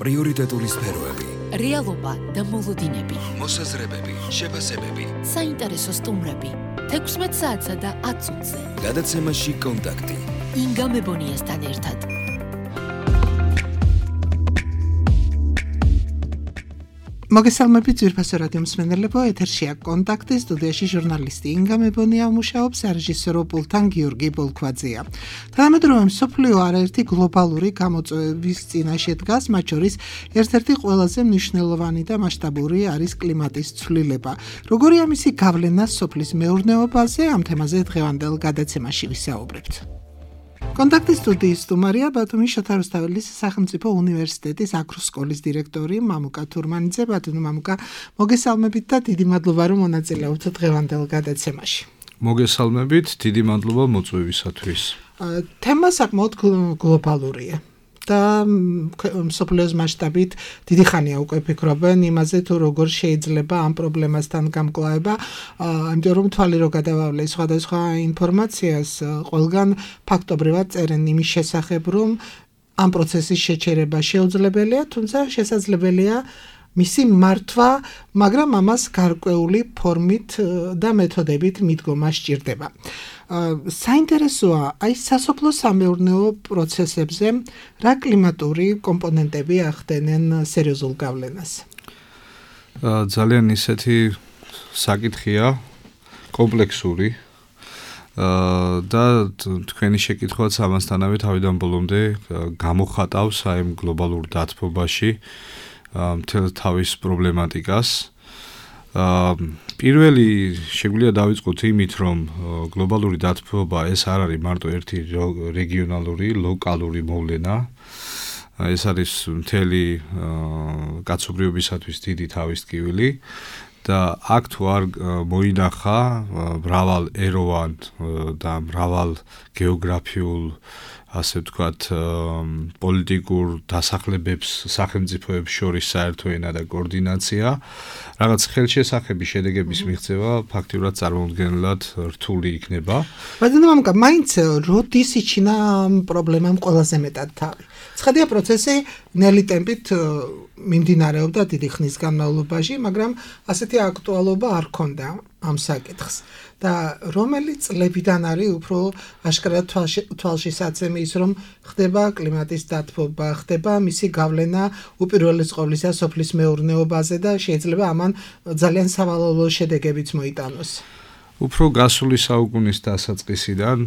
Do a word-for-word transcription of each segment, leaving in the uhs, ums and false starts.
პრიორიტეტული სფეროები, რეალობა და მოლოდინები, მოსაზრებები, შეფასებები, საინტერესო სტუმრები, თექვსმეტ საათსა და ათ წუთზე. გადაცემაში კონტაქტი. ინგა მებონიასთან ერთად. მოგესალმებით ძვირფასო რადიო მსმენელებო, ეთერშია კონტაქტი, სტუდიაში ჟურნალისტი ინგა მებონია მუშაობს, რეჟისორო პულტთან გიორგი ბოლქვაძეა. თანამედროვე მსოფლიო არაერთი გლობალური გამოწვევების წინაშე დგას, მათ შორის ერთ-ერთი ყველაზე მნიშვნელოვანი და მასშტაბური არის კლიმატის ცვლილება. როგორია მისი გავლენა სოფლის მეურნეობაზე, ამ თემაზე დღევანდელ გადაცემაში ვისაუბრებთ. კონტაქტის სტუდიის სტუმარია ბათუმის შოთა რუსთაველის სახელმწიფო უნივერსიტეტის აგროსკოლის დირექტორი მამუკა თურმანიძე. ბატონო მამუკა, მოგესალმებით და დიდი მადლობა რომ მონაწილეობთ დღევანდელ გადაცემაში. მოგესალმებით, დიდი მადლობა მოწვევისათვის. თემა საკმაოდ გლობალურია და მსოფლიოს მასშტაბით დიდი ხანია უკვე ფიქრობენ იმაზე თუ როგორ შეიძლება ამ პრობლემასთან გამკლავება, იმიტომ რომ თვალი რო გადავავლე სხვადასხვა ინფორმაციას, ყველგან ფაქტობრივად წერენ იმის შესახებ, რომ ამ პროცესის შეჩერება შეუძლებელია, თუმცა შესაძლებელია მისი მართვა, მაგრამ ამას გარკვეული ფორმით და მეთოდებით მიდგომა სჭირდება. საინტერესოა აი სასოფლო სამეურნეო პროცესებზე რა კლიმატური კომპონენტები ახდენენ სერიოზულ გავლენას? ძალიან ისეთი საკითხია, კომპლექსური და თქვენი შეკითხვაც ამასთანავე თავიდან ბოლომდე გამოხატავს აი ამ გლობალურ დათბობაში მთელ თავის პრობლემატიკას. პირველი შეგვიძლია დავიწყოთ იმით, რომ გლობალური დათბობა ეს არ არის მარტო ერთი რეგიონალური, ლოკალური მოვლენა. ეს არის მთელი კაცობრიობისათვის დიდი თავის ტკივილი და აქ თუ არ მოინახა მრავალ ეროვან და მრავალ გეოგრაფიულ, ასე ვთქვათ, პოლიტიკურ დასახლებებს სახელმწიფოებს შორის საერთო ენა და კოორდინაცია, რაღაც ხელშესახების შედეგების მიღწევა ფაქტიურად წარმოუდგენლად რთული იქნება. ბატონო მამუკა, მაინც როდის იჩინა ამ პრობლემამ ყველაზე მეტად თავი? ცხადია პროცესი ნელი ტემპით მიმდინარეობდა დიდი ხნის განმავლობაში, მაგრამ ასეთი აქტუალობა არ ჰქონდა ამ საკითხს. და რომელი წლებიდან არის უფრო აშკარად თვალშისაცემი ის, რომ ხდება კლიმატის დათბობა, ხდება მისი გავლენა უპირველეს ყოვლისა სოფლის მეურნეობაზე და შეიძლება ამან ძალიან სავალალო შედეგებიც მოიტანოს. უფრო გასული საუკუნის დასაწყისიდან,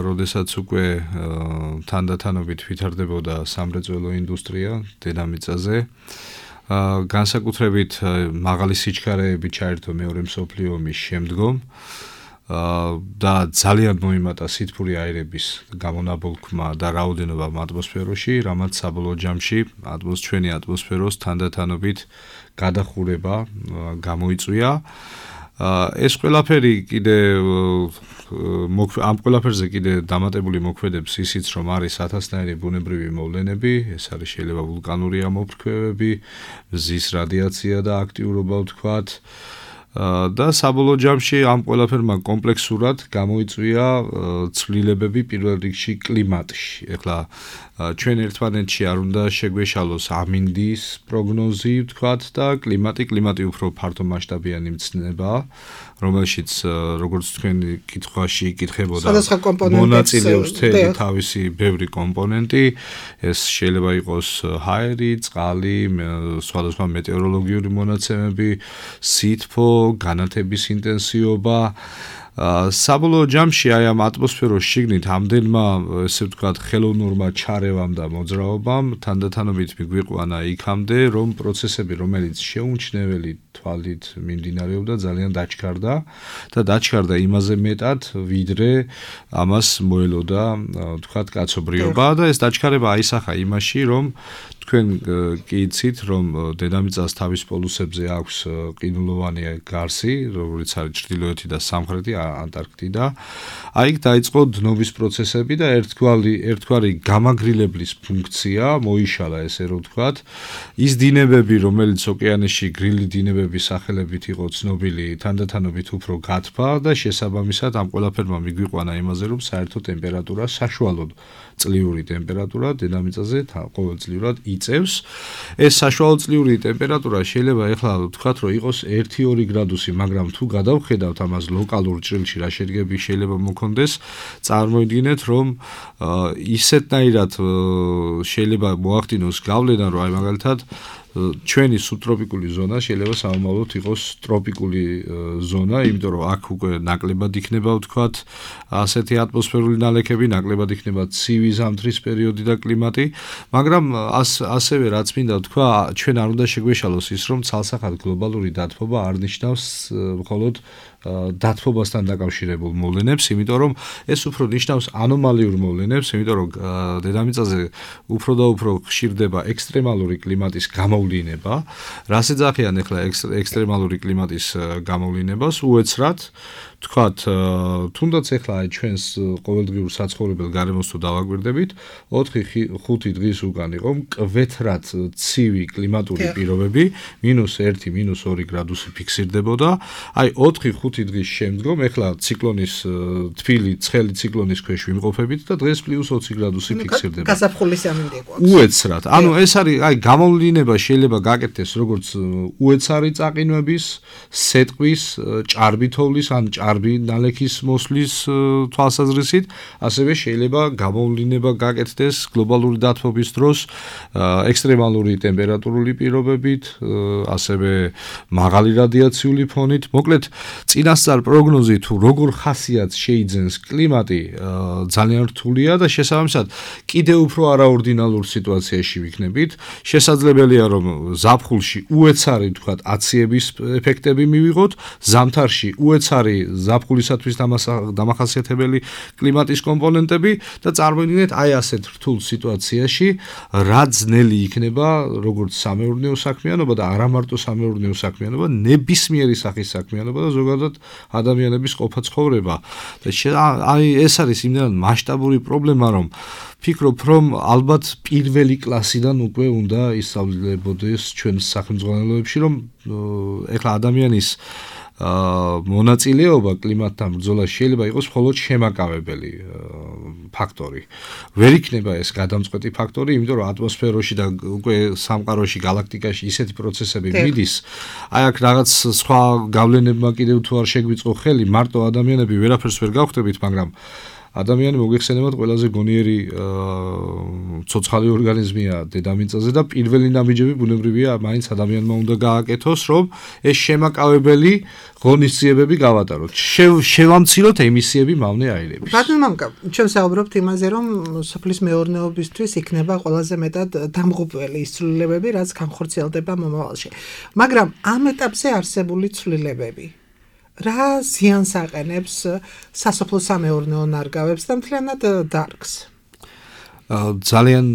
როდესაც უკვე თანდათანობით ვითარდებოდა სამრეწველო ინდუსტრია დედამიწაზე, განსაკუთრებით მაღალი სიჩქარეები ჩაერთო მეორე მსოფლიო ომის შემდგომ და ძალიან მოიმატა სითბური აირების გამონაბოლქვმა და რაოდენობამ ატმოსფეროში, რამაც საბოლოო ჯამში ჩვენი ატმოსფეროს თანდათანობით გადახურება გამოიწვია. ეს ყველაფერი კიდე ამ ყველაფერზე კიდე დამატებული მოქმედებს ისიც, რომ არის ათასნაირი ბუნებრივი მოვლენები, ეს არის შეიძლება ვულკანური ამოფრქვევები, მზის რადიაცია და აქტიურობა ვთქვათ. და საბოლოო ჯამში ამ ყველაფერმა კომპლექსურად გამოიწვია ცვლილებები პირველ რიგში კლიმატში. ეხლა ჩვენ ერთმანეთში არ უნდა შეგვეშალოს ამინდის პროგნოზი ვთქვათ და კლიმატი, კლიმატი უფრო ფართო მასშტაბიანი მცნებაა, რომელშიც როგორც თქვენი კითხვაში იკითხებოდა მონაწილეობს მთელი თავისი ბევრი კომპონენტი. ეს შეიძლება იყოს ჰაერი, წყალი, სხვადასხვა მეტეოროლოგიური მონაცემები, სითბო, განათების ინტენსივობა. საბოლოო ჯამში აი ამ ატმოსფეროს შიგნით ამდენმა, ესე ვთქვათ, ხელოვნურმა ჩარევამ და მოძრაობამ თანდათანობით მიგვიყვანა იქამდე, რომ პროცესები, რომელიც შეუმჩნეველი თვალით მიმდინარეობდა, ძალიან დაჩქარდა და დაჩქარდა იმაზე მეტად, ვიდრე ამას მოელოდა, ვთქვათ, კაცობრიობა და ეს დაჩქარება აისახა იმაში, რომ თქვენ კი იცით, რომ დედამიწას თავის პოლუსებზე აქვს ყინულოვანი გარსი, როგორც არის ჩრდილოეთი და სამხრეთი ანტარქტიდა. აი იქ დაიწყო დნობის პროცესები და ერთგვარი ერთგვარი გამაგრილებლის ფუნქცია მოიშალა, ესე რომ ვთქვათ. ის დინებები, რომელიც ოკეანეში გრილი დინებების სახელებით იყო ცნობილი, თანდათანობით უფრო გათბა და შესაბამისად ამ ყველაფერმა მიგვიყვანა იმაზე, რომ საერთო ტემპერატურა, საშუალო წლიური ტემპერატურა დედამიწაზე ყოველწლიურად იწევს. ეს საშუალო წლიური ტემპერატურა შეიძლება ეხლა ვთქვათ, რომ იყოს ერთი ორი გრადუსი, მაგრამ თუ გადავხედავთ ამას ლოკალურ ჭრილში რა შედგები შეიძლება მოქონდეს, წარმოიდგინეთ, რომ ისეთნაირად შეიძლება მოახდინოს გავლენა, რომ აი მაგალითად ჩვენი სუბტროპიკული ზონა შეიძლება სამომავლოდ იყოს ტროპიკული ზონა, იმიტომ რომ აქ უკვე ნაკლებად იქნება ვთქვათ ასეთი ატმოსფერული ნალექები, ნაკლებად იქნება ცივი ზამთრის პერიოდი და კლიმატი, მაგრამ ასევე რაც მინდა ვთქვა, ჩვენ არ უნდა შეგვეშალოს ის, რომ ცალსახად გლობალური დათბობა არ ნიშნავს მხოლოდ დათბობასთან დაკავშირებულ მოვლენებს, იმიტომ რომ ეს უფრო ნიშნავს ანომალიურ მოვლენებს, იმიტომ რომ დედამიწაზე უფრო და უფრო ხშირდება ექსტრემალური კლიმატის გამოვლინება, რაც ეძახიან ახლა ექსტრემალური კლიმატის გამოვლინებას უეცრად, თქვათ, თუნდაც ახლა აი ჩვენს ყოველდღიურ საცხოვრებელ გარემოს თუ დავაკვირდებით, ოთხი ხუთი დღის უკან იყო მკვეთრად ცივი კლიმატური პირობები, მინუს ერთი, მინუს ორი გრადუსი ფიქსირდებოდა, აი ოთხი ხუთი დღის შემდგომ ახლა ციკლონის თბილი ცხელი ციკლონის ქვეშ ვიმყოფებით და დღეს პლუს ოცი გრადუსი ფიქსირდება. გასაფხულის ამინდი გვაქვს. უეცრად. ანუ ეს არის აი გამოვლინება შეიძლება გაკეთდეს როგორც უეცარი წაყინვების, სეტყვის, ჭარბითოვლის ან ჭარბი ნალექის მოსვლის თვალსაზრისით, ასევე შეიძლება გამოვლინება გაკეთდეს გლობალური დათბობის დროს ექსტრემალური ტემპერატურული პირობებით, ასევე მაღალი რადიაციული ფონით. მოკლედ, წინასწარ პროგნოზი თუ როგორ ხასიათს შეიძენს კლიმატი ძალიან რთულია და შესაბამისად კიდევ უფრო არაორდინალურ სიტუაციაში ვიქნებით. შესაძლებელია რომ ზაფხულში უეცარი ვთქვათ აციების ეფექტები მივიღოთ, ზამთარში უეცარი ზაფხულისათვის დამახასიათებელი კლიმატის კომპონენტები და წარმოიდგინეთ აი ასეთ რთულ სიტუაციაში რა ძნელი იქნება როგორც სამეურნეო საქმიანობა და არა მარტო სამეურნეო საქმიანობა, ნებისმიერი სახის საქმიანობა და ზოგადად ადამიანების ყოფა ცხოვრება. და აი ეს არის იმდენად მასშტაბური პრობლემა, რომ ფიქრობ, რომ ალბათ პირველი კლასიდან უკვე უნდა ისწავლებოდეს ჩვენ სახელმძღვანელოებში, რომ ეხლა ადამიანის მონაწილეობა კლიმატთან ბრძოლაში შეიძლება იყოს მხოლოდ შემაკავებელი ფაქტორი. ვერ იქნება ეს გადამწყვეტი ფაქტორი, იმიტომ რომ ატმოსფეროში და უკვე სამყაროში, გალაქტიკაში ისეთი პროცესები მიდის, აი აქ რაღაც სხვა გავლენებმა კიდევ თუ არ შეგვიწყო ხელი, მარტო ადამიანები ვერაფერს ვერ გავხდებით, მაგრამ ადამიანი მოგეხსენებათ ყველაზე გონიერი ცოცხალი ორგანიზმია დედამიწაზე და პირველი ნაბიჯები ბუნებრივია მაინც ადამიანმა უნდა გააკეთოს, რომ ეს შემაკავებელი ღონისძიებები გავატაროთ. შევამციროთ ემისიები მავნე აირების. ბატონო მამკა, ჩვენ საუბრობთ იმაზე, რომ სოფლის მეურნეობისთვის იქნება ყველაზე მეტად დამღუპველი ის ცვლილებები, რაც განხორციელდება მომავალში. მაგრამ ამ ეტაპზე არსებული ცვლილებები რა ზიანს აყენებს სასოფლო სამეურნეო ნარგავებს და მთლიანად დარგს? ძალიან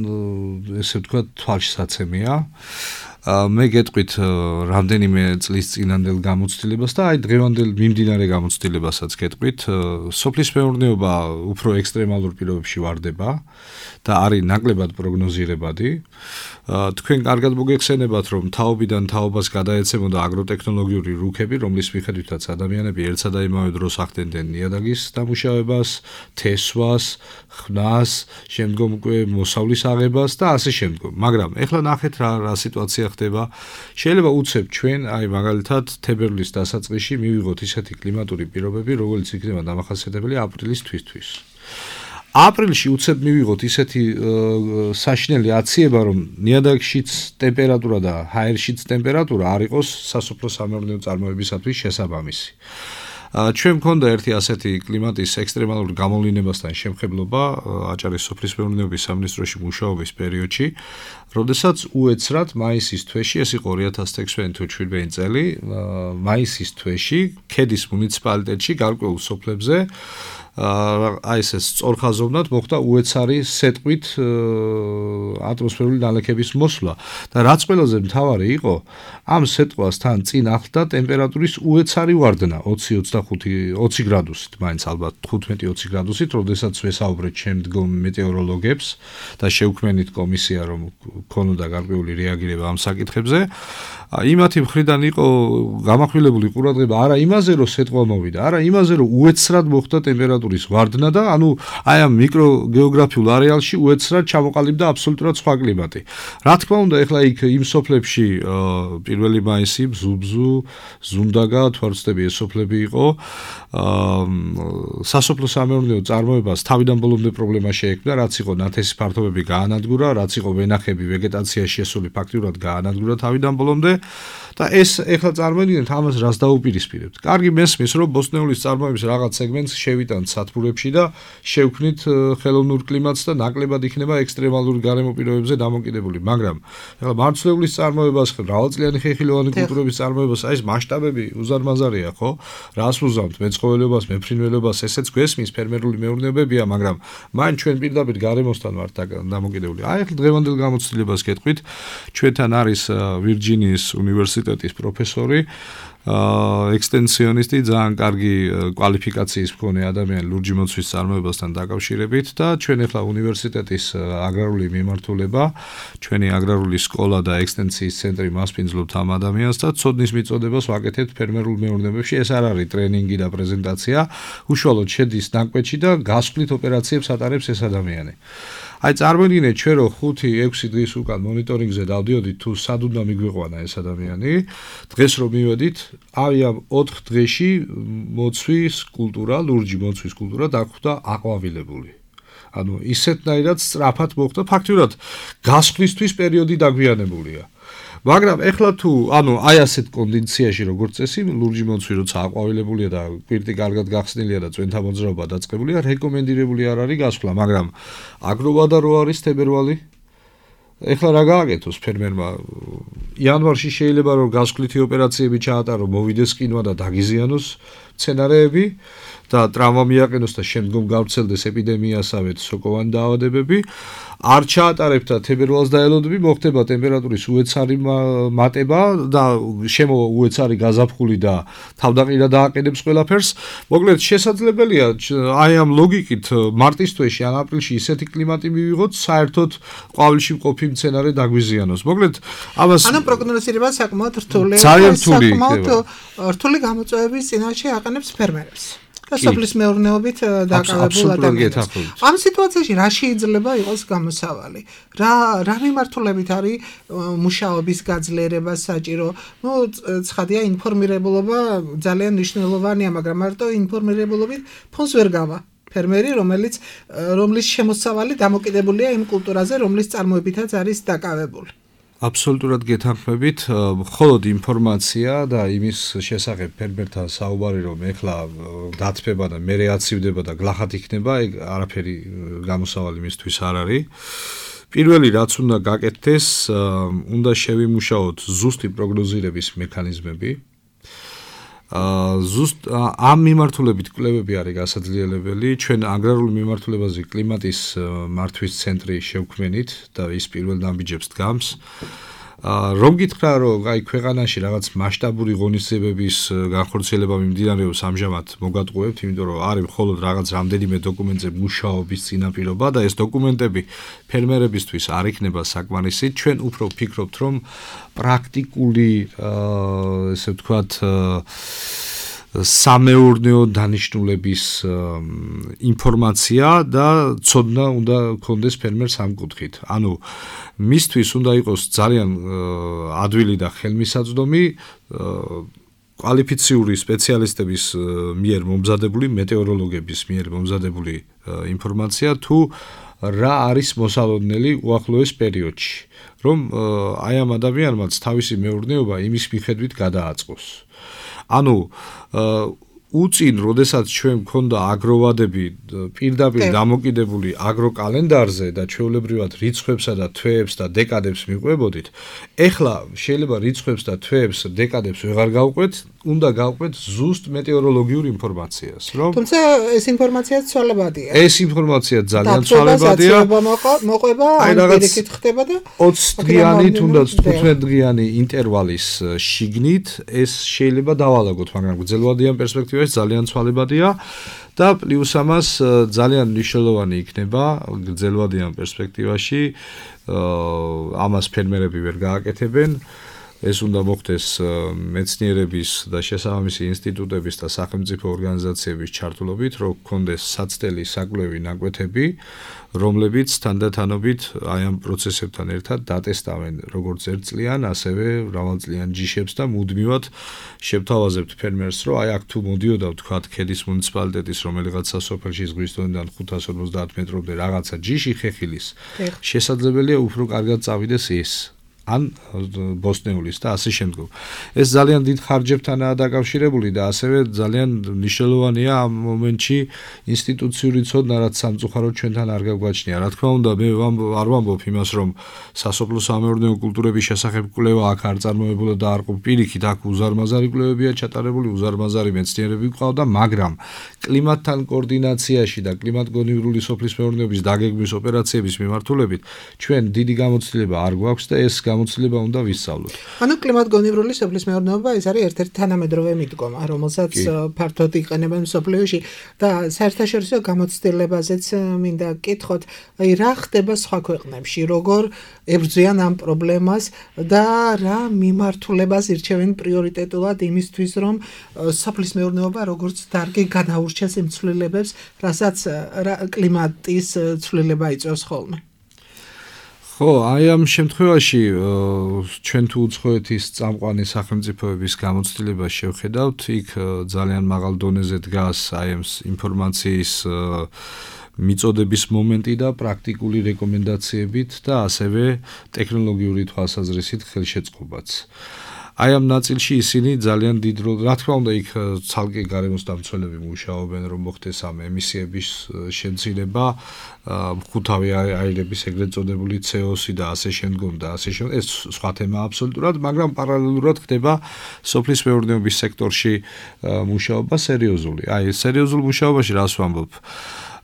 ესე ვთქვათ თვალშისაცემია. მე გეტყვით რამდენიმე წლის წინანდელ გამოცდილებას და აი დღევანდელ მიმდინარე გამოცდილებასაც გეტყვით. სოფლის მეურნეობა უფრო ექსტრემალურ პირობებში ვარდება და არის ნაკლებად პროგნოზირებადი. თქვენ კარგად მოგეხსენებათ, რომ თაობიდან თაობას გადაეცემოდა აგროტექნოლოგიური რუქები, რომლის მიხედვითაც ადამიანები ერთსა და იმავე დროს ახდენდნენ ნიადაგის დამუშავებას, თესვას, ხვნას, შემდგომ უკვე მოსავლის აღებას და ასე შემდგომ. მაგრამ ეხლა ნახეთ რა რა სიტუაცია ხდება. შეიძლება უცებ ჩვენ, აი მაგალითად, თებერვლის დასაწყისში მივიღოთ ისეთი კლიმატური პირობები, როგორც იქნება დამახასიათებელი აპრილის თვისთვის. აპრილში უცებ მივიღოთ ისეთი საშინელი აციება, რომ ნიადაგშიც ტემპერატურა და ჰაერშიც ტემპერატურა არ იყოს სასოფლო სამეურნეო წარმოებისათვის შესაბამისი. ჩვენ მქონდა ერთი ასეთი კლიმატის ექსტრემალურ გამოვლინებასთან შემხებლობა აჭარის სოფლის მეურნეობის სამინისტროში მუშაობის პერიოდში, როდესაც უეცრად მაისის თვეში, ეს იყო ორი ათას ექვსმეტი თუ შვიდმეტი წელი, მაისის თვეში ქედის მუნიციპალიტეტში გარკვეულ სოფლებზე აი ეს სწორხაზოვნად მოხდა უეცარი სეტყვით ატმოსფერული ნალექების მოსვლა და რაც ყველაზე მთავარი იყო, ამ სეტყვასთან წინ ახლდა ტემპერატურის უეცარი ვარდნა ოცი ოცდახუთი ოცი გრადუსით, მაინც ალბათ თხუთმეტი ოცი გრადუსით, როდესაც ვესაუბრეთ შემდგომ მეტეოროლოგებს და შევქმნით კომისია, რომ ქონოდა გარკვეული რეაგირება ამ საკითხებზე. იმათი მხრიდან იყო გამახვილებული ყურადღება არა იმაზე, რომ სეტყვა მოვიდა, არა იმაზე, რომ უეცრად მოხდა ტემპერატურის ვარდნა და ანუ აი ამ მიკროგეოგრაფიულ არეალში უეცრად ჩამოყალიბდა აბსოლუტურად სხვა კლიმატი. რა თქმა უნდა, ეხლა იქ იმ სოფლებში პირველი მაისი, ბზუბზუ, ზუნდაგა, თვარცდები ეს სოფლები იყო. სასოფლო სამეურნეო წარმოებას თავიდან ბოლომდე პრობლემა შეექმნა, რაც იყო ნათესი ფართობები გაანადგურა, რაც იყო ვენახები ვეგეტაციაში შესული ფაქტიურად გაანადგურა თავიდან ბოლომდე და ეს ეხლა წარმოიდგინეთ ამას რას დაუპირისპირებთ. კარგი მესმის, რომ ბოსტნეულის წარმოების რაღაც სეგმენტს შევიტანთ სათბურებში და შევქმნით ხელოვნურ კლიმატს და ნაკლებად იქნება ექსტრემალური გარემო პირობებზე დამოკიდებული, მაგრამ ეხლა მარცვლეულის წარმოებას, მრავალწლიანი ხეხილოვანი კულტურების წარმოებას, აი ეს მასშტაბები უზარმაზარია, ხო? რას უზამთ მეცხოველეობას, მეფრინველებას, ესეც გვესმის ფერმერული მეურნეობებია, მაგრამ მაინც ჩვენ პირდაპირ გარემოსთან ვართ დამოკიდებული. აი ეხლა დღევანდელ გამოცდილებას გეტყვით, ჩვენთან არის ვირჯინიის უნივერსიტეტის პროფესორი, ექსტენსიონისტი, ძალიან კარგი კვალიფიკაციის მქონე ადამიანი ლურჯი მოცვის წარმოებასთან დაკავშირებით და ჩვენ ახლა უნივერსიტეტის აგრარული მიმართულება, ჩვენი აგრარული სკოლა და ექსტენსიის ცენტრი მასპინძლობთ ამ ადამიანს და ცოდნის მიწოდებას ვაკეთებთ ფერმერულ მეურნეობებში. ეს არ არის ტრენინგი და პრეზენტაცია, უშუალოდ შედის ნაკვეთში და გასვლით ოპერაციებს ატარებს ეს ადამიანი. აი წარმოიდგინეთ ჩვენ რომ ხუთი ექვსი დღის უკან მონიტორინგზე დავდიოდით თუ სად უნდა მიგვიყვანა ეს ადამიანი, დღეს რომ მივედით, აი ამ ოთხ დღეში მოცვის კულტურა, ლურჯი მოცვის კულტურა დახვდა აყვავილებული. ანუ ისეთნაირად სწრაფად მოხდა, ფაქტიურად გასვლისთვის პერიოდი დაგვიანებულია. მაგრამ ეხლა თუ ანუ აი ასეთ კონდიციაში როგორც წესი ლურჯი მოცვი როცა აყვავილებულია და პირდი კარგად გახსნილია და წვენთა მოძრაობა დაწყებულია, რეკომენდირებული არ არის გასვლა, მაგრამ აგროვადა რო არის თებერვალი. ეხლა რა გააკეთოს ფერმერმა? იანვარში შეიძლება რომ გასვლითი ოპერაციები ჩაატარო, მოვიდეს კინვა და დაგიზიანოს მცენარეები და ტრავმა მიაყენოს და შემდგომ გავრცელდეს ეპიდემიასავე სოკოვანი დაავადებები. არ ჩაატარებთ და თებერვალს დაელოდები, მოხდება ტემპერატურის უეცარი მატება და შემო უეცარი გაზაფხული და თავდაყირა დააყენებს ყველაფერს. მოკლედ შესაძლებელია აი ამ ლოგიკით მარტის თვეში ან აპრილში ისეთი კლიმატი მივიღოთ, საერთოდ ყვავილში მყოფი მცენარე დაგვიზიანოს. მოკლედ ამას ანუ პროგნოზირება საკმაოდ რთული, ძალიან რთული საკმაოდ რთული გამოწვევების წინაშე აყენებს ფერმერებს. და სოფლის მეურნეობით დაკავებულ ადამიანებს. ამ სიტუაციაში რა შეიძლება იყოს გამოსავალი? რა რა მიმართულებით არის მუშაობის გაძლიერება საჭირო? ნუ ცხადია ინფორმირებულობა ძალიან მნიშვნელოვანია, მაგრამ მარტო ინფორმირებულობით ფონს ვერ გავა. ფერმერი, რომელიც რომლის შემოსავალი დამოკიდებულია იმ კულტურაზე, რომლის წარმოებითაც არის დაკავებული. აბსოლუტურად გეთანხმებით, მხოლოდ ინფორმაცია და იმის შესახებ ფერმერთან საუბარი რომ ეხლა დათბება და მერე აცივდება და გლახად იქნება, ეგ არაფერი გამოსავალი მისთვის არ არის. პირველი რაც უნდა გაკეთდეს, უნდა შევიმუშაოთ ზუსტი პროგნოზირების მექანიზმები. ზუსტ ამ მიმართულებით კვლევები არის გასაძლიერებელი. ჩვენ აგრარულ მიმართულებაზე კლიმატის მართვის ცენტრი შევქმნით და ის პირველ ნაბიჯებს დგამს. რომ გითხრა რომ აი ქვეყანაში რაღაც მასშტაბური ღონისძიებების განხორციელება მიმდინარეობს ამჟამად მოგატყუებთ, იმიტომ რომ არის მხოლოდ რაღაც რამდენიმე დოკუმენტზე მუშაობის წინაპირობა და ეს დოკუმენტები ფერმერებისთვის არ იქნება საკმარისი. ჩვენ უფრო ვფიქრობთ რომ პრაქტიკული ესე ვთქვათ სამეურნეო დანიშნულების ინფორმაცია და ცოდნა უნდა გქონდეს ფერმერს ამ კუთხით. ანუ მისთვის უნდა იყოს ძალიან ადვილი და ხელმისაწვდომი კვალიფიციური სპეციალისტების მიერ მომზადებული, მეტეოროლოგების მიერ მომზადებული ინფორმაცია თუ რა არის მოსალოდნელი უახლოეს პერიოდში, რომ აი ამ ადამიანმაც თავისი მეურნეობა იმის მიხედვით გადააწყოს. ანუ უწინ, როდესაც ჩვენ მქონდა აგროვადები პირდაპირ დამოკიდებული აგროკალენდარზე და ჩვეულებრივად რიცხვებსა და თვეებს და დეკადებს მიყვებოდით, ეხლა შეიძლება რიცხვებს და თვეებს, დეკადებს ვეღარ გავყვეთ, უნდა გავყვეთ ზუსტ მეტეოროლოგიურ ინფორმაციას, რომ თუმცა ეს ინფორმაცია ცვალებადია. ეს ინფორმაცია ძალიან ცვალებადია. მოყვება, ან პირიქით ხდება და ოცი დღიანი თუნდაც თხუთმეტ დღიანი ინტერვალის შიგნით ეს შეიძლება დავალაგოთ, მაგრამ გრძელვადიან პერსპექტივაში ძალიან ცვალებადია და პლუს ამას ძალიან მნიშვნელოვანი იქნება გრძელვადიან პერსპექტივაში, ამას ფერმერები ვერ გააკეთებენ. ეს უნდა მოხდეს მეცნიერების და შესაბამისი ინსტიტუტების და სახელმწიფო ორგანიზაციების ჩართულობით, რომ გქონდეს საცდელი საკვლევი ნაკვეთები, რომლებიც თანდათანობით აი ამ პროცესებთან ერთად დატესტავენ როგორც ერთწლიან, ასევე მრავალწლიან ჯიშებს და მუდმივად შევთავაზებთ ფერმერს, რომ აი აქ თუ მოდიოდა ვთქვათ ქედის მუნიციპალიტეტის რომელიღაცა სოფელში ზღვის დონიდან ხუთას ორმოცდაათ მეტრამდე რაღაცა ჯიში ხეხილის, შესაძლებელია უფრო კარგად წავიდეს ის. ან ბოსტნეულის და ასე შემდგომ. ეს ძალიან დიდ ხარჯებთანაა დაკავშირებული და ასევე ძალიან მნიშვნელოვანია ამ მომენტში ინსტიტუციური ცოდნა, რაც სამწუხაროდ ჩვენთან არ გაგვაჩნია. რა თქმა უნდა, მე არ ვამბობ იმას, რომ სასოფლო-სამეურნეო კულტურების შესახებ კვლევა აქ არ წარმოებულა და არ ყოფ პირიქით, აქ უზარმაზარი კვლევებია ჩატარებული, უზარმაზარი მეცნიერები გვყავდა, მაგრამ კლიმატთან კოორდინაციაში და კლიმატგონივრული სოფლის მეურნეობის დაგეგმვის ოპერაციების მიმართულებით ჩვენ დიდი გამოცდილება არ გვაქვს და ეს გამოცდილება უნდა ვისწავლოთ. ანუ კლიმატგონივრული სოფლის მეურნეობა ეს არის ერთ-ერთი თანამედროვე მიდგომა, რომელსაც ფართოდ იყენებენ მსოფლიოში და საერთაშორისო გამოცდილებაზეც მინდა გკითხოთ, აი რა ხდება სხვა ქვეყნებში, როგორ ებრძვიან ამ პრობლემას და რა მიმართულებას ირჩევენ პრიორიტეტულად იმისთვის, რომ სოფლის მეურნეობა როგორც დარგი გადაურჩეს იმ ცვლილებებს, რასაც კლიმატის ცვლილება იწვევს ხოლმე. ხო, აი ამ შემთხვევაში ჩვენ თუ უცხოეთის წამყვანი სახელმწიფოების გამოცდილებას შევხედავთ, იქ ძალიან მაღალ დონეზე დგას აი ამ ინფორმაციის მიწოდების მომენტი და პრაქტიკული რეკომენდაციებით და ასევე ტექნოლოგიური თვალსაზრისით ხელშეწყობაც. აი ამ ნაწილში ისინი ძალიან დიდ როლს, რა თქმა უნდა, იქ ცალკე გარემოსდამცველები მუშაობენ, რომ მოხდეს ამ ემისიების შემცირება, ხუთავი აირების ეგრეთ წოდებული C O C და ასე შემდგომ და ასე შემდგომ. ეს სხვა თემაა აბსოლუტურად, მაგრამ პარალელურად ხდება სოფლის მეურნეობის სექტორში მუშაობა სერიოზული. აი, სერიოზულ მუშაობაში რას ვამბობ?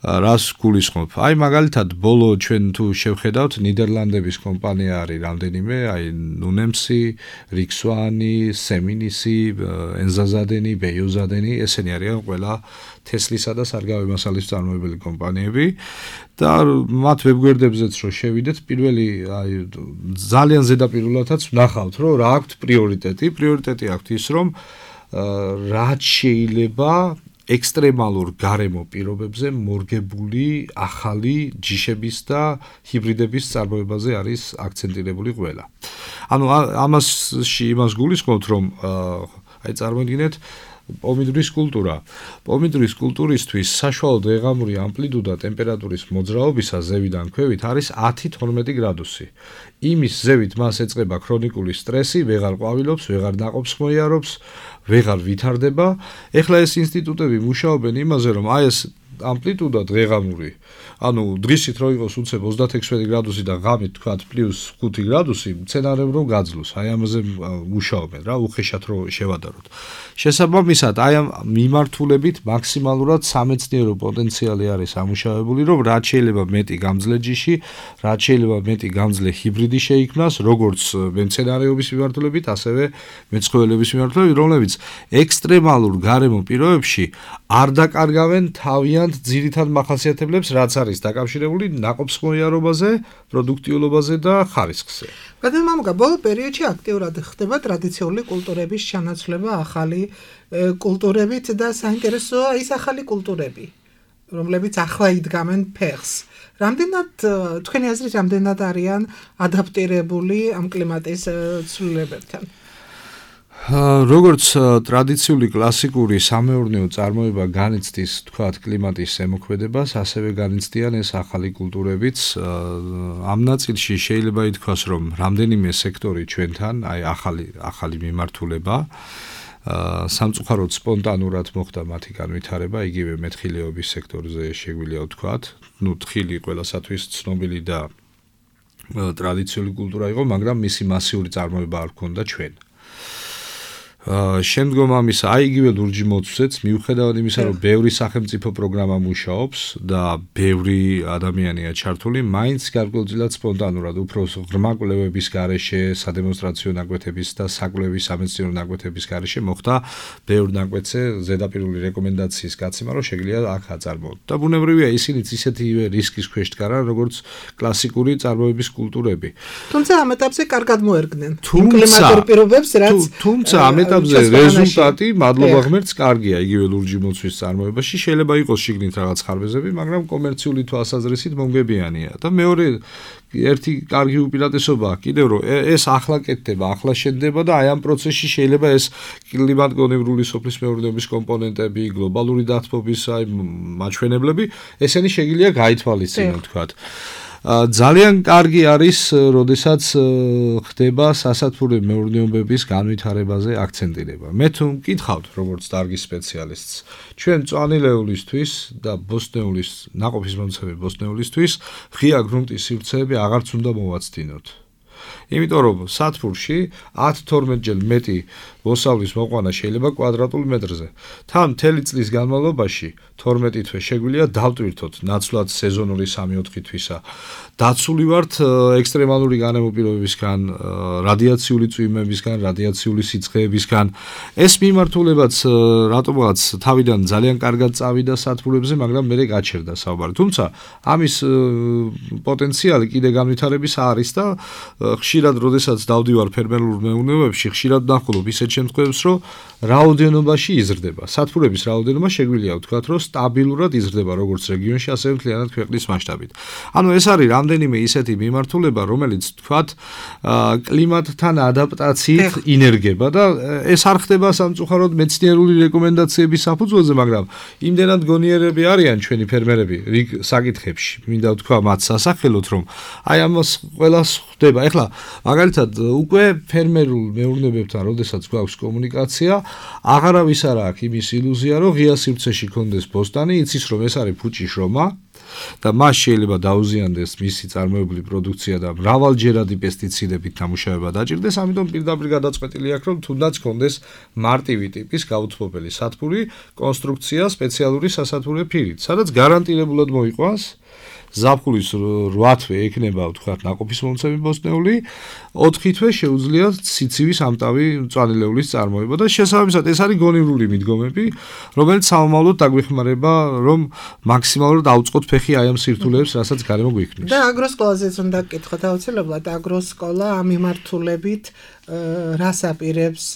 რას გულისხმობ? აი მაგალითად ბოლო ჩვენ თუ შევხედავთ ნიდერლანდების კომპანია არის რამდენიმე, აი ნუნემსი, რიქსვანი, სემინისი, ენზაზადენი, ბეიოზადენი, ესენი არიან ყველა თესლისა და სარგავი მასალის წარმოებელი კომპანიები და მათ ვებგვერდებზეც რო შევიდეთ, პირველი აი ძალიან ზედაპირულადაც ვნახავთ, რომ რა აქვთ პრიორიტეტი. პრიორიტეტი აქვთ ის, რომ რაც შეიძლება ექსტრემალურ გარემო პირობებზე მორგებული ახალი ჯიშების და ჰიბრიდების წარმოებაზე არის აქცენტირებული ყველა. ანუ ამასში იმას გულისხმობთ, რომ აი წარმოიდგინეთ პომიდორის კულტურა. პომიდორის კულტურისთვის საშუალო დღეღამური ამპლიტუდა ტემპერატურის მოძრაობისა ზევიდან ქვევით არის ათი თორმეტი გრადუსი. იმის ზევით მას ეწყება ქრონიკული სტრესი, ვეღარ ყვავილობს, ვეღარ ნაყოფს მოიარობს, ვეღარ ვითარდება. ეხლა ეს ინსტიტუტები მუშაობენ იმაზე, რომ აი ეს ამპლიტუდა დღეღამური, ანუ დღისით რო იყოს უცებ ოცდაექვსი გრადუსი და ღამით თქვათ პლუს ხუთი გრადუსი, მცენარემ რომ გაძლოს, აი ამაზე მუშაობენ რა, უხეშად რო შევადაროთ. შესაბამისად, აი ამ მიმართულებით მაქსიმალურად სამეცნიერო პოტენციალი არის ამუშავებული, რომ რაც შეიძლება მეტი გამძლე ჯიში, რაც შეიძლება მეტი გამძლე ჰიბრიდი შეიქმნას, როგორც მცენარეობის მიმართულებით, ასევე მეცხოველების მიმართულებით, რომლებიც ექსტრემალურ გარემო პირობებში არ დაკარგავენ თავიანთ ძირითად მახასიათებლებს, რაც არის დაკავშირებული ნაყოფს მოიარობაზე, პროდუქტიულობაზე და ხარისხზე. გადამამგა ბოლო პერიოდში აქტიურად ხდება ტრადიციული კულტურების ჩანაცვლება ახალი კულტურებით და საინტერესოა ის ახალი კულტურები, რომლებიც ახლა იდგამენ ფეხს. რამდენად თქვენი აზრით რამდენად არიან ადაპტირებული ამ კლიმატის ცვლილებებთან? როგორც ტრადიციული კლასიკური სამეურნეო წარმოება განიცდის, თქვათ, კლიმატის ზემოქმედებას, ასევე განიცდიან ეს ახალი კულტურებიც. ამ ნაწილში შეიძლება ითქვას, რომ რამდენიმე სექტორი ჩვენთან, აი ახალი ახალი მიმართულება, სამწუხაროდ სპონტანურად მოხდა მათი განვითარება, იგივე მეთხილეობის სექტორზე შეგვიძლია ვთქვათ. ნუ თხილი ყველასათვის ცნობილი და ტრადიციული კულტურა იყო, მაგრამ მისი მასიური წარმოება არ ჰქონდა ჩვენ. შემდგომ ამისა აი იგივე ლურჯი მოცვეც მიუხედავად იმისა რომ ბევრი სახელმწიფო პროგრამა მუშაობს და ბევრი ადამიანია ჩართული მაინც გარკვეულწილად სპონტანურად უფრო ღრმა კვლევების გარეშე სადემონსტრაციო ნაკვეთების და საკვლევი სამეცნიერო ნაკვეთების გარეშე მოხდა ბევრ ნაკვეთზე ზედაპირული რეკომენდაციის გაცემა რომ შეგვიძლია აქ აწარმოოთ და ბუნებრივია ისინიც ისეთივე რისკის ქვეშ დგარან როგორც კლასიკური წარმოების კულტურები თუმცა ამ ეტაპზე კარგად მოერგნენ კლიმატურ პირობებს რაც თუმცა ამ რეზულტატი მადლობა ღმერთს კარგია იგივე ლურჯი მოცვის წარმოებაში შეიძლება იყოს შიგნით რაღაც ხარბეზები მაგრამ კომერციული თვალსაზრისით მომგებიანია და მეორე ერთი კარგი უპირატესობაა კიდევ რომ ეს ახლა კეთდება ახლა შენდება და აი ამ პროცესში შეიძლება ეს კლიმატგონივრული სოფლის მეურნეობის კომპონენტები გლობალური დათბობის აი მაჩვენებლები ესენი შეგვიძლია გაითვალისწინოთ თქვათ ძალიან კარგი არის, როდესაც ხდება სასათბური მეურნეობების განვითარებაზე აქცენტირება. მე თუ მკითხავთ, როგორც დარგის სპეციალისტს, ჩვენ მწვანილეულისთვის და ბოსტნეულის ნაყოფის მომცემი ბოსტნეულისთვის ღია გრუნტის სივრცეები აღარც უნდა მოვაცდინოთ. იმიტომ რომ სათბურში ათი თორმეტჯერ მეტი მოსავლის მოყვანა შეიძლება კვადრატულ მეტრზე. თან მთელი წლის განმავლობაში თორმეტი თვე შეგვიძლია დავტვირთოთ ნაცვლად სეზონური სამი-ოთხი თვისა. დაცული ვართ ექსტრემალური განმოპირობებისგან, რადიაციული წვიმებისგან, რადიაციული სიცხეებისგან. ეს მიმართულებაც რატომღაც თავიდან ძალიან კარგად წავიდა სათბურებზე, მაგრამ მე გაჩერდა საუბარი. თუმცა ამის პოტენციალი კიდე განვითარების არის და ხშირად როდესაც დავდივარ ფერმერულ მეურნეობებში, ხშირად ნახულობ ისეთ შემთხვევებს, რომ რაოდენობაში იზრდება. სათბურების რაოდენობა შეგვიძლია ვთქვათ, რომ სტაბილურად იზრდება როგორც რეგიონში, ასევე მთლიანად ქვეყნის მასშტაბით. ანუ ეს არის რამდენიმე ისეთი მიმართულება, რომელიც ვთქვათ, კლიმატთან ადაპტაციით ინერგება და ეს არ ხდება სამწუხაროდ მეცნიერული რეკომენდაციების საფუძველზე, მაგრამ იმდენად გონიერები არიან ჩვენი ფერმერები რიგ საკითხებში. მინდა ვთქვა მათ სასახელოდ, რომ აი ამას ყველას ხდება. ეხლა მაგალითად უკვე ფერმერულ მეურნეობებთან როდესაც გვაქვს კომუნიკაცია, აღარავის არ აქვს იმის ილუზია, რომ ღია სივრცეში კონდეს ბოსტანი, იცის რომ ეს არის ფუჭი შრომა და მას შეიძლება დაუზიანდეს მისი წარმოებული პროდუქცია და მრავალჯერადი პესტიციდებით დამუშავება დაჭირდეს, ამიტომ პირდაპირ გადაწყვეტილი აქვს, რომ თუნდაც კონდეს მარტივი ტიპის გაუთბობელი სათბური კონსტრუქცია სპეციალური სასათბურე ფირით, სადაც გარანტირებულად მოიყვანს ზაფხულის რვა თვე ექნება ვთქვათ ნაყოფის მომცემი ბოსტნეული, ოთხი თვე შეუძლია სიცივის ამტავი მწვანილეულის წარმოება და შესაბამისად ეს არის გონივრული მიდგომები, რომელიც სამომავლოდ დაგვეხმარება, რომ მაქსიმალურად აუწყოთ ფეხი აი ამ სირთულეებს, რასაც გარემო გვიქმნის. და აგროსკოლაზეც უნდა გკითხოთ აუცილებლად აგროსკოლა ამ მიმართულებით რას აპირებს,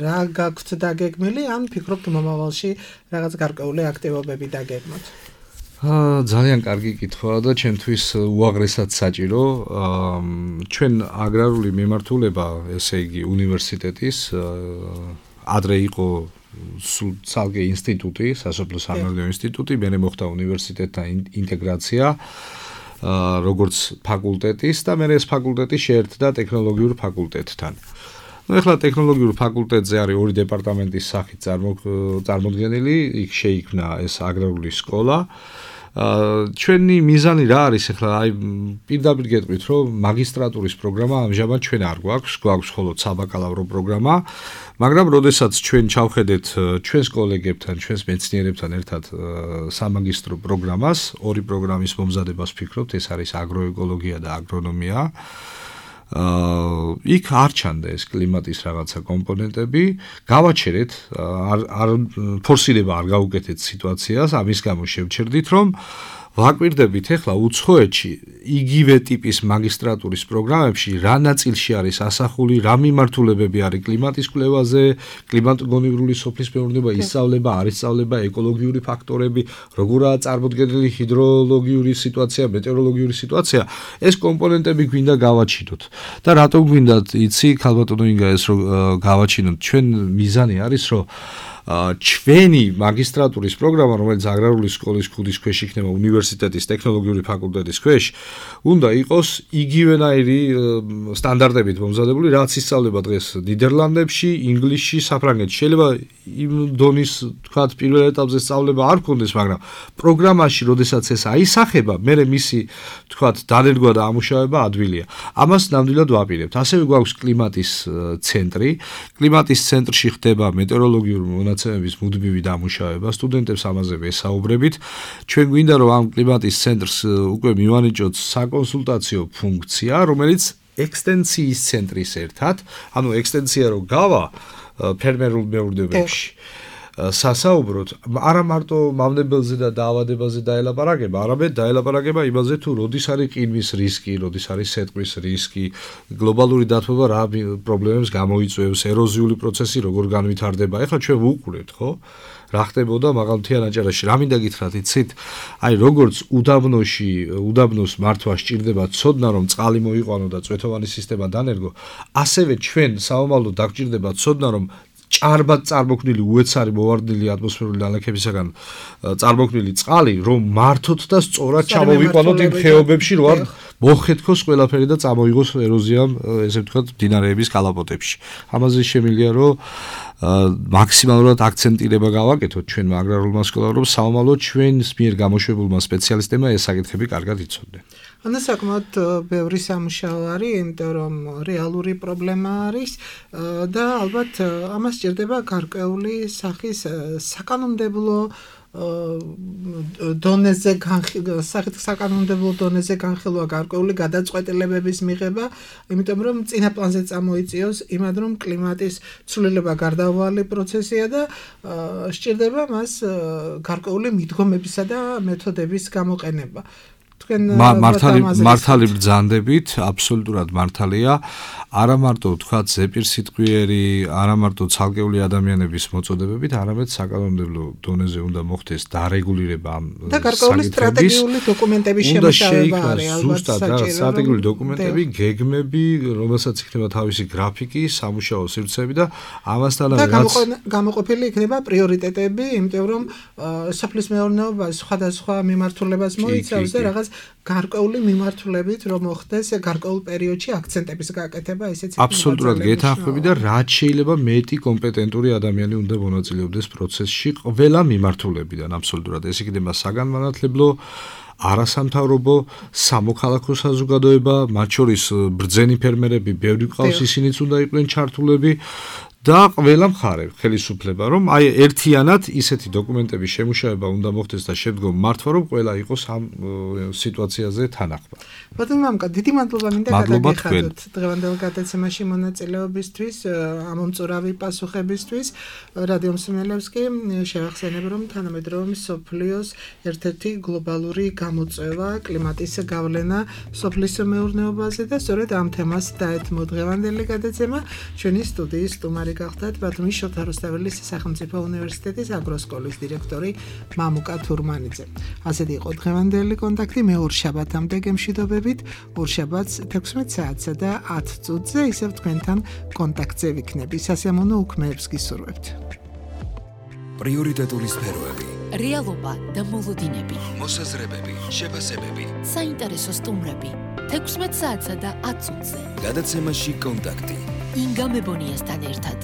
რა გაქვთ დაგეგმილი, ან ფიქრობთ მომავალში რაღაც გარკვეული აქტივობები დაგეგმოთ. ძალიან კარგი კითხვაა და ჩემთვის უაღრესად საჭირო. ჩვენ აგრარული მიმართულება, ესე იგი უნივერსიტეტის ადრე იყო ცალკე ინსტიტუტი, სასოფლო სამეურნეო ინსტიტუტი, მერე მოხდა უნივერსიტეტთან ინტეგრაცია როგორც ფაკულტეტის და მერე ეს ფაკულტეტი შეერთდა ტექნოლოგიურ ფაკულტეტთან. ну ეხლა ტექნოლოგიურ ფაკულტეტზე არის ორი დეპარტამენტის სახით წარმოდგენილი, იქ შეიქმნა ეს აგრარული სკოლა. ჩვენი მიზანი რა არის ეხლა აი პირდაპირ გეტყვით რომ მაგისტრატურის პროგრამა ამჟამად ჩვენ არ გვაქვს, გვაქვს მხოლოდ საბაკალავრო პროგრამა, მაგრამ როდესაც ჩვენ ჩავხედეთ ჩვენს კოლეგებთან, ჩვენს მეცნიერებთან ერთად სამაგისტრო პროგრამას, ორი პროგრამის მომზადებას ვფიქრობთ, ეს არის აგროეკოლოგია და აგრონომია. აა იქ არ ჩანდა ეს კლიმატის რაღაცა კომპონენტები, გავაჩერეთ, არ არ ფორსირება არ გაუკეთეთ სიტუაციას, ამის გამო შევჩერდით, რომ ვაკვირდებით ახლა უცხოეთში იგივე ტიპის მაგისტრატურის პროგრამებში რა ნაწილში არის ასახული, რა მიმართულებები არის კლიმატის კვლევაზე, კლიმატგონივრული სოფლის მეურნეობა, ისწავლება, არ ისწავლება, ეკოლოგიური ფაქტორები, როგორაა წარმოდგენილი ჰიდროლოგიური სიტუაცია, მეტეოროლოგიური სიტუაცია, ეს კომპონენტები გვინდა გავაჩინოთ. და რატომ გვინდა იცი, ქალბატონო ინგა ეს რომ გავაჩინოთ, ჩვენ მიზანი არის, რომ ჩვენი მაგისტრატურის პროგრამა, რომელიც აგრარული სკოლის ქუდის ქვეშ იქნება უნივერსიტეტის ტექნოლოგიური ფაკულტეტის ქვეშ, უნდა იყოს იგივენაირი სტანდარტებით მომზადებული, რაც ისწავლება დღეს ნიდერლანდებში, ინგლისში, საფრანგეთში. შეიძლება იმ დონის, თქვათ, პირველ ეტაპზე სწავლება არ გქონდეს, მაგრამ პროგრამაში, როდესაც ეს აისახება, მერე მისი, თქვათ, დანერგვა და ამუშავება ადვილია. ამას ნამდვილად ვაპირებთ. ასევე გვაქვს კლიმატის ცენტრი. კლიმატის ცენტრში ხდება მეტეოროლოგიური მონაცემების მუდმივი დამუშავება. სტუდენტებს ამაზე ვესაუბრებით. ჩვენ გვინდა რომ ამ კლიმატის ცენტრს უკვე მივანიჭოთ საკონსულტაციო ფუნქცია, რომელიც ექსტენციის ცენტრის ერთად, ანუ ექსტენცია რო გავა ფერმერულ მეურნეობებში. სასაუბროთ არა მარტო მავნებელზე და დაავადებაზე დაელაპარაკება, არამედ დაელაპარაკება იმაზე თუ როდის არის ყინვის რისკი, როდის არის სეტყვის რისკი, გლობალური დათბობა რა პრობლემებს გამოიწვევს, ეროზიული პროცესი როგორ განვითარდება. ეხლა ჩვენ ვუყურებთ, ხო? რა ხდებოდა მაღალმთიან აჭარაში, რა მინდა გითხრათ, იცით? აი, როგორც უდაბნოში, უდაბნოს მართვა სჭირდება ცოდნა, რომ წყალი მოიყვანო და წვეთოვანი სისტემა დანერგო, ასევე ჩვენ საომალოდ დაგჭირდება ცოდნა, რომ ჭარბად წარმოქმნილი უეცარი მოვარდნილი ატმოსფერული ნალექებისაგან წარმოქმნილი წყალი რომ მართოთ და სწორად ჩამოვიყვანოთ იმ ხეობებში, რო არ მოხეთქოს ყველაფერი და წამოიღოს ეროზიამ, ესე ვთქვათ, მდინარეების კალაპოტებში. ამაზე შემიძლია რომ მაქსიმალურად აქცენტირება გავაკეთოთ ჩვენ აგრარულმა სკოლამ, რომ საომალოდ ჩვენს მიერ გამოშვებულმა სპეციალისტებმა ეს საკითხები კარგად იცოდნენ. ანუ საკმაოდ ბევრი სამუშაო არის, იმიტომ რომ რეალური პრობლემა არის და ალბათ ამას სჭირდება გარკვეული სახის საკანონმდებლო დონეზე სახით საკანონმდებლო დონეზე განხილვა, გარკვეული გადაწყვეტილებების მიღება, იმიტომ რომ წინა პლანზე წამოიწიოს იმად რომ კლიმატის ცვლილება გარდაუვალი პროცესია და სჭირდება მას გარკვეული მიდგომებისა და მეთოდების გამოყენება. მართალი ბრძანდებით, აბსოლუტურად მართალია. არა მარტო თქვათ ზეპირსიტყვიერი, არა მარტო ცალკეული ადამიანების მოწოდებებით, არამედ საკანონმდებლო დონეზე უნდა მოხდეს დარეგულირება ამ და გარკვეული სტრატეგიული დოკუმენტების შემუშავება არის ალბათ ზუსტად და სტრატეგიული დოკუმენტები, გეგმები, რომელსაც იქნება თავისი გრაფიკი, სამუშაო სივრცეები და ამასთანავე რაც გამოყოფილი იქნება პრიორიტეტები, იმიტომ რომ სოფლის მეურნეობა სხვადასხვა მიმართულებას მოიცავს და რაღაც გარკვეული მიმართულებით რომ მოხდეს გარკვეულ პერიოდში აქცენტების გაკეთება, ესეც აბსოლუტურად გეთანხმები და რაც შეიძლება მეტი კომპეტენტური ადამიანი უნდა მონაწილეობდეს პროცესში ყველა მიმართულებიდან. აბსოლუტურად ეს იქნება საგანმანათლებლო, არასამთავრობო, სამოქალაქო საზოგადოება, მათ შორის ბრძენი ფერმერები, ბევრი ყავს, ისინიც უნდა იყვნენ ჩართულები. და ყველა მხარე ხელისუფლება, რომ აი ერთიანად ისეთი დოკუმენტების შემუშავება უნდა მოხდეს და შემდგომ მართვა, რომ ყველა იყოს ამ სიტუაციაზე თანახმად. ბატონო მამკა, დიდი მადლობა მინდა გადაგიხადოთ დღევანდელ გადაცემაში მონაწილეობისთვის, ამომწურავი პასუხებისთვის. რადიო მსმენელებს კი შევახსენებ, რომ თანამედროვე მსოფლიოს ერთ-ერთი გლობალური გამოწვევა კლიმატის გავლენა სოფლის მეურნეობაზე და სწორედ ამ თემას დაეთმო დღევანდელი გადაცემა. ჩვენი სტუდიის სტუმარი გახდათ ბათუმის შოთა რუსთაველის სახელმწიფო უნივერსიტეტის აგროსკოლის დირექტორი მამუკა თურმანიძე. ასეთი იყო დღევანდელი კონტაქტი. მე ორ შაბათამდე გემშვიდობებით. ორ შაბათს თექვსმეტ საათსა და ათ წუთზე ისევ თქვენთან კონტაქტზე ვიქნები. სასიამოვნო უქმეებს გისურვებთ. პრიორიტეტული სფეროები, რეალობა და მოლოდინები, მოსაზრებები, შეფასებები, საინტერესო სტუმრები. თექვსმეტ საათსა და ათ წუთზე. გადაცემაში კონტაქტი. ინგა მებონიასთან ერთად.